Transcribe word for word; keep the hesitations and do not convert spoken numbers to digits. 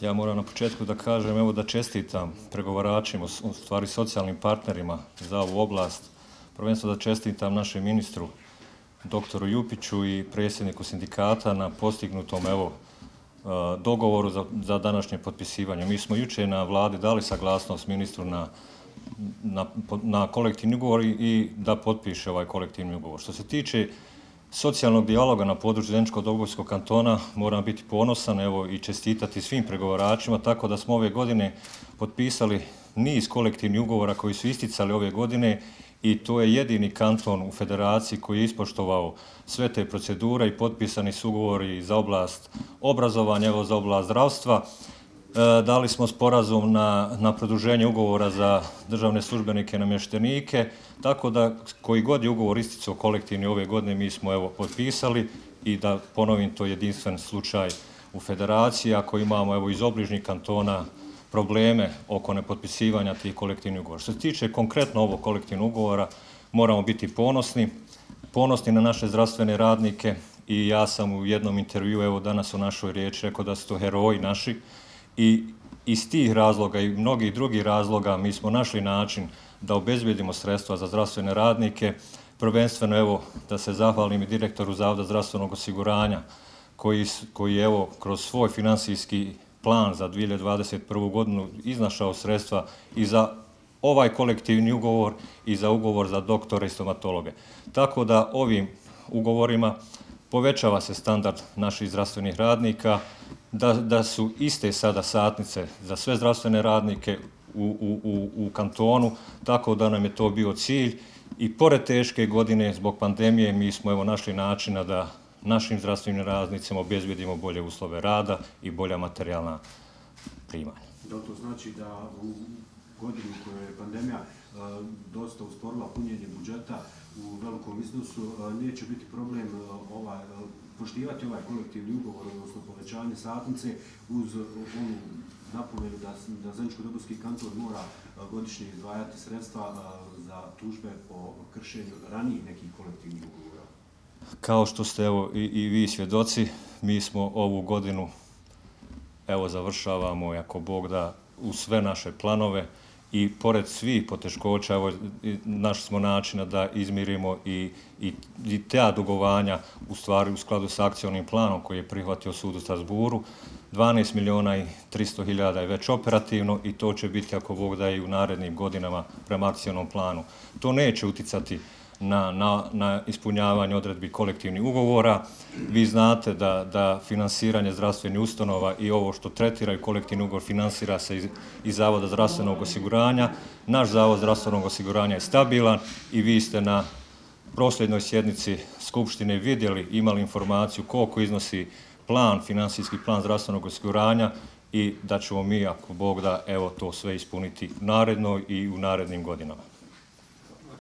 Ja moram na početku da kažem, evo da čestitam pregovaračima, u stvari socijalnim partnerima za ovu oblast, prvenstveno da čestitam našem ministru, doktoru Jupiću i predsjedniku sindikata na postignutom evo dogovoru za, za današnje potpisivanje. Mi smo jučer na vladi dali saglasnost ministru na, na, na kolektivni ugovor i da potpiše ovaj kolektivni ugovor. Što se tiče socijalnog dijaloga na području Zeničko-Dobojskog kantona, moram biti ponosan evo, i čestitati svim pregovaračima, tako da smo ove godine potpisali niz kolektivnih ugovora koji su isticali ove godine i to je jedini kanton u federaciji koji je ispoštovao sve te procedure i potpisani su ugovori za oblast obrazovanja, evo za oblast zdravstva. E, dali smo sporazum na, na produženje ugovora za državne službenike i namještenike, tako da koji god je ugovor isticao kolektivni ove godine mi smo evo potpisali i da ponovim, to je jedinstven slučaj u federaciji, ako imamo evo iz obližnjih kantona probleme oko nepotpisivanja tih kolektivnih ugovora. Što se tiče konkretno ovog kolektivnog ugovora, moramo biti ponosni, ponosni na naše zdravstvene radnike i ja sam u jednom intervju, evo danas u našoj riječi, rekao da su to heroji naši i iz tih razloga i mnogih drugih razloga mi smo našli način da obezbijedimo sredstva za zdravstvene radnike, prvenstveno evo da se zahvalim i direktoru Zavoda zdravstvenog osiguranja koji, koji evo kroz svoj financijski plan za dvije hiljade dvadeset prvu. godinu iznašao sredstva i za ovaj kolektivni ugovor i za ugovor za doktore i stomatologe. Tako da ovim ugovorima povećava se standard naših zdravstvenih radnika, da, da su iste sada satnice za sve zdravstvene radnike u, u, u kantonu, tako da nam je to bio cilj i pored teške godine zbog pandemije mi smo evo našli načina da našim zdravstvenim radnicima obezbijedimo bolje uslove rada i bolja materijalna primanja. Da li to znači da u godini u kojoj je pandemija uh, dosta usporila punjenje budžeta u velikom iznosu, uh, neće biti problem uh, ovaj, uh, poštivati ovaj kolektivni ugovor, odnosno povećanje satnice uz uh, onu napomenu da, da Zeničko-Dobojski kanton mora uh, godišnje izdvajati sredstva uh, za tužbe po kršenju ranijih nekih kolektivnih ugovora? Kao što ste evo i, i vi svjedoci, mi smo ovu godinu evo završavamo, ako Bog da, u sve naše planove i pored svih poteškoća evo našli smo načina da izmirimo i, i, i ta dugovanja u stvari u skladu sa akcionim planom koji je prihvatio sud u Strasburu. dvanaest milijuna i tristo hiljada je već operativno i to će biti, ako Bog da, i u narednim godinama prema akcionom planu. To neće uticati Na, na, na ispunjavanje odredbi kolektivnih ugovora. Vi znate da, da finansiranje zdravstvenih ustanova i ovo što tretiraju kolektivni ugovor finansira se iz, iz Zavoda zdravstvenog osiguranja. Naš Zavod zdravstvenog osiguranja je stabilan i vi ste na prosljednoj sjednici Skupštine vidjeli, imali informaciju koliko iznosi plan, finansijski plan zdravstvenog osiguranja i da ćemo mi, ako Bog da, evo to sve ispuniti naredno i u narednim godinama.